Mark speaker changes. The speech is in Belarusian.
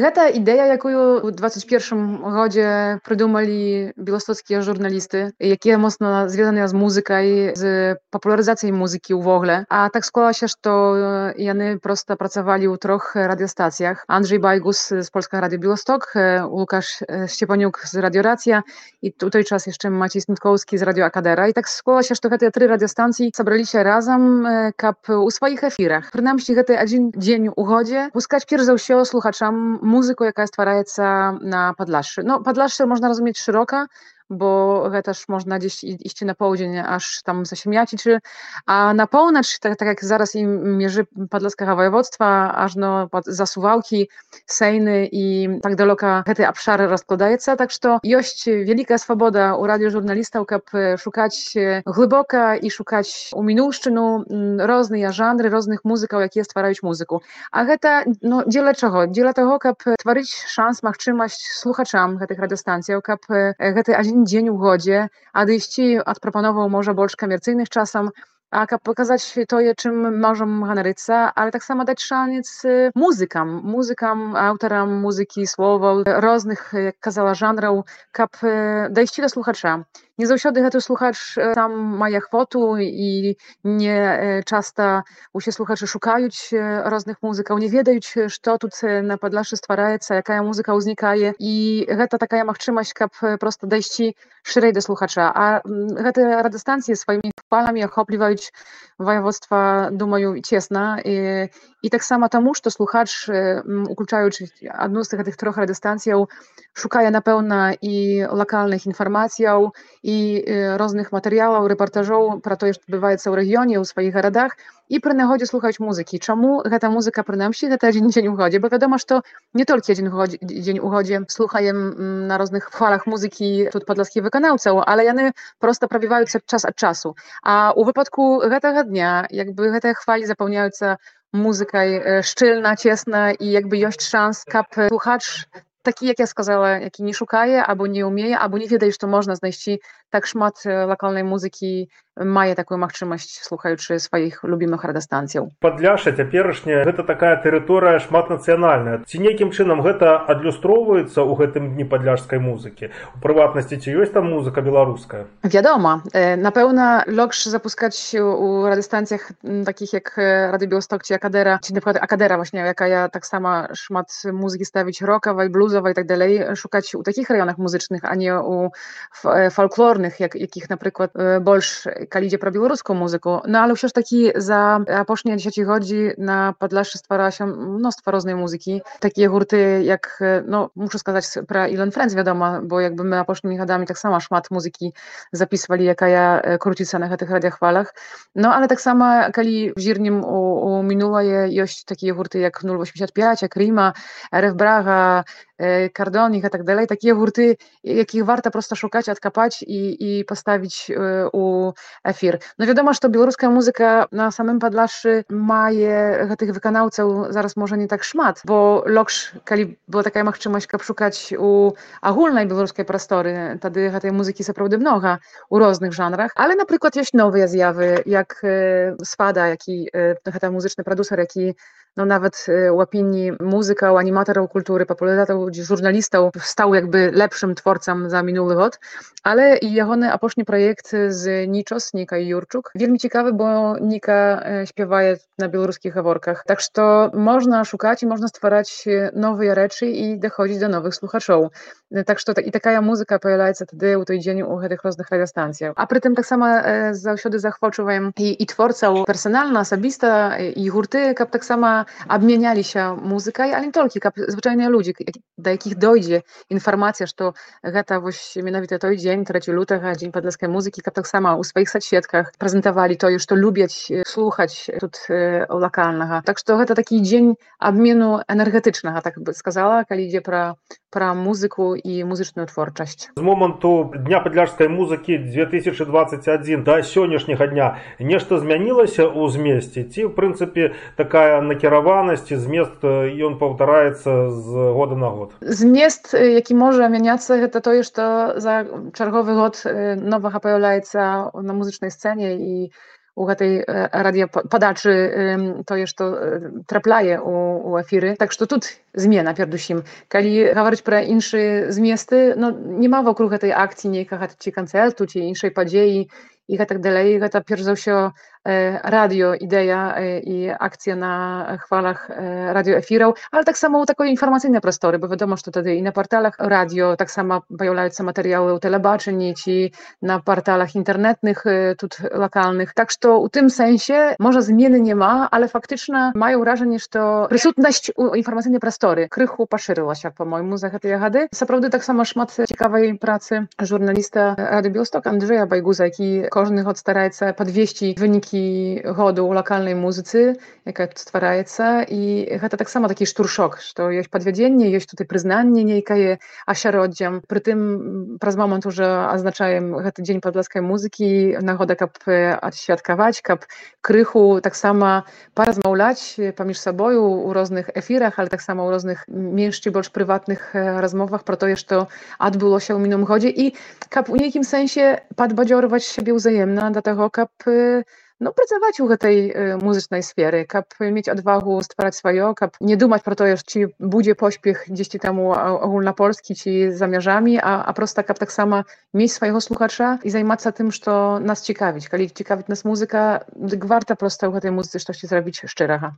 Speaker 1: Гэта ідэя, якую ў 21 годзе прыдумалі беластоцкія журналісты, якія моцна звязаныя з музыкай, з папулярызацыяй музыкі ўвогуле. А так склалася, што яны проста працавалі ў 3 радыёстацыях. Анджэй Байгус з Польскага радыё Беласток, Лукаш Сцепанюк з Радыё Рацыя і у той час яшчэ Мацей Сніткоўскі з Радыё Акадэра. І так склалася, што гэтыя 3 радыёстанцыі сабраліся разам, каб у сваіх эфірах, прынамсі гэты адзін дзень у годзе, пускаць перш за ўсё слухачам музыку, якая ствараецца на Падлашшы. Ну, Падлашшы можна разумець шырока, бо гэта ж можна дзесь ісці на поўдзень, аж там за Сям'яцічы. А на поўнач, так як зараз і межы падласкага ваяводства, ажно за Сувалкі, Сейны і так далёка гэты абшар раскладаецца. Так што ёсць вялікая свабода ў радыёжурналістаў, каб шукаць глыбока і шукаць у мінуўшчыну розныя жанры, розных музыкаў, якія ствараюць музыку. А гэта, ну, дзеля чаго? Дзеля таго, каб тварыць шанс, магчымасць слухачам гэтых радыёстанцыяў, каб гэты адзін дзень у годзе адысці ад прапановаў можа больш камерцыйных часам, а каб паказаць тое, чым можам ганарыцца, але таксама даць шанец музыкам, аўтарам музыкі, словаў, розных, як казала, жанраў, каб дайсці да слухача. Не заўсёды гэты слухач сам мае ахвоту і не часта усе слухачы шукаюць розных музыкаў, не ведаюць, што тут на Падлашшы ствараецца, якая музыка ўзнікае. І гэта такая магчымасць, каб проста дайсці шырэй да слухача. А гэтыя радыёстанцыі сваімі хваламі ахопліваюць ваяводства, думаю, цесна. І таксама таму, што слухач, уключаючы адну з гэтых 3 радыёстанцыяў, шукае, напэўна, і лакальных інфармацыяў, і розных матэрыялаў, рэпартажоў пра тое, што адбываецца ў рэгіёне, ў сваіх гарадах, і пры нагодзе слухаць музыкі. Чаму гэта музыка, прынамсі, гэта адзін дзень у годзе? Бо вядома, што не толькі адзін дзень у годзе слухаем на розных хвалах музыкі тут падласкіх выканаўцаў, але яны проста прабіваюцца час ад часу. А ў выпадку гэтага дня, якby гэтыя хвалі запаўняюцца музыкай шчыльна, цесна, і якby ёсць шанс, каб слухач такі, як я сказала, які не шукае, або не ўмее, або не ведае, што можна знайсці так шмат лакальнай музыкі, мае такую магчымасць, слухаючы сваіх любімых радыёстанцыяў.
Speaker 2: Падляшша цяперашняя гэта такая тэрыторыя шматнацыянальная. Ці нейкім чынам гэта адлюстроўваецца ў гэтым дні падляшскай музыкі? У прыватнасці, ці ёсць там музыка беларуская?
Speaker 1: Вядома. Напэўна, лёгш запускаць у радыёстанцыях такіх як Радыё Беласток ці Акадэра, ці, напрыклад, Акадэра, якая таксама шмат музыкі ставіць рокавай, блузавай і так далей, шукаць у такіх раёнах музычных, а не ў фальклорных, якіх, напрыклад, больш, калі ідзе пра беларускую музыку. Ну, але ўсё ж такі за апошнія дзесяцігоддзі на Падлашшы стваралася мноства рознай музыкі. Такія гурты, як, ну, мушу сказаць пра Илон Фрэнс, вядома, бо якby мы апошнімі гадамі таксама шмат музыкі запісвалі, якая круціцца на гэтых радыёхвалах. Ну, але таксама, калі зірнем у мінулае, ёсць такія гурты, як 085, як Ріма, РФ Брага, Кардонік і так далей. Такія гурты, якіх варта проста шукаць, адкапаць і паставіць у эфір. Ну, вядома, што беларуская музыка на самым Падлашшы мае гэтых выканаўцаў зараз можа не так шмат, бо лёгш, калі была такая магчымасць, каб шукаць у агульнай беларускай прасторы, тады гэтай музыкі сапраўды многа ў розных жанрах. Але, напрыклад, ёсць новыя з'явы, як Свада, які гэта музычны прадусер, які, ну, нават у апініі музыкаў, аніматараў культуры, папулярызатараў, журналістаў стаў якby lepszym творцам за мінулы год. Але і ягоны апошні праект з Нічос, Ніка і Юрчук, вельмі цікавы, бо Ніка śpiewaje на беларускіх гаворках. Так што можна шукаць і можна ствараць новыя рэчы і даходзіць да новых слухачоў. Так што і такая музыка паявляецца тады ў той дзень у гэтых розных радыёстанцыях. А прытым таксама заўсёды захвочваем і творцаў персанальна, асабіста, і гурты, каб таксама абмяняліся музыкай, але не толькі, каб звычайныя людзі, да якіх дойдзе інфармацыя, што гэта вось менавіта той дзень, 3 лютага, дзень падласкай музыкі, каб таксама ў сваіх садсетках прэзентавалі тое, што любяць слухаць тут лакальнага. Так што гэта такі дзень абмену энергетычнага, так бы сказала, калі ідзе пра музыку і музычную творчасць.
Speaker 2: З моманту дня падляшскай музыкі 2021 да сённяшняга дня нешта змянілася ў змесце? Ці, в прынцыпе, такая накіраванасць і змест, ён паўтараецца з года на год?
Speaker 1: Змест, які можа мяняцца, гэта тое, што за чарговы год новага паяўляецца на музычнай сцэне і u tej radiopadaczy to jest to traplaje u efiry. Tak, że тут zmiana передусім. Калі гаварыць пра іншыя зместы, no nie ma вокруг гэтай акцыі нейкага ці канцэрту, ці іншай падзеі і гэтак далей. Гэта перш за ўсё radio idea i akcja na chwalach radioefirów, ale tak samo takie informacyjne prostory, bo wiadomo, że wtedy i na portalach radio, tak samo pojawiają się materiały u telebaczeń, czy na portalach internetnych, lokalnych. Tak, że w tym sensie może zmiany nie ma, ale faktycznie mają wrażenie, że to присутność informacyjnej prostory krychu poszerzyła się, po mojemu, za te jahady. Naprawdę tak samo szmat ciekawej pracy żurnalista Radio Białystok Andrzeja Bajguza, jaki każdy stara się podwieźć wyniki году у локальной музыцы, якая тут ствараецца, і гэта таксама такі штуршок, што ёсць падвядзенне, ёсць тут і прызнанне нейкае асяроддзям. Прытым праз момант уже азначаем гэты дзень падласкай музыкі, нагода, каб адсвяткаваць, каб крыху таксама паразмаўляць паміж сабою у розных эфірах, але таксама ў розных менш ці больш прыватных размовах пра тое, што адбылося ў мінулым годзе, і каб у нейкім сэнсе падбадзёрваць сябе ўзаемна да таго, каб no, pracować u tej muzycznej sfery, kap mieć odwagę stwarzać swoje, kap nie dumać pro to, czy będzie pośpiech gdzieś temu ogólnopolski, czy zamierzami, a prosta kap tak samo mieć swojego słuchacza i zajmować się tym, co nas ciekawić. Kiedy ciekawić nas muzyka, warto prosto u tej muzyce coś zrobić szczerego.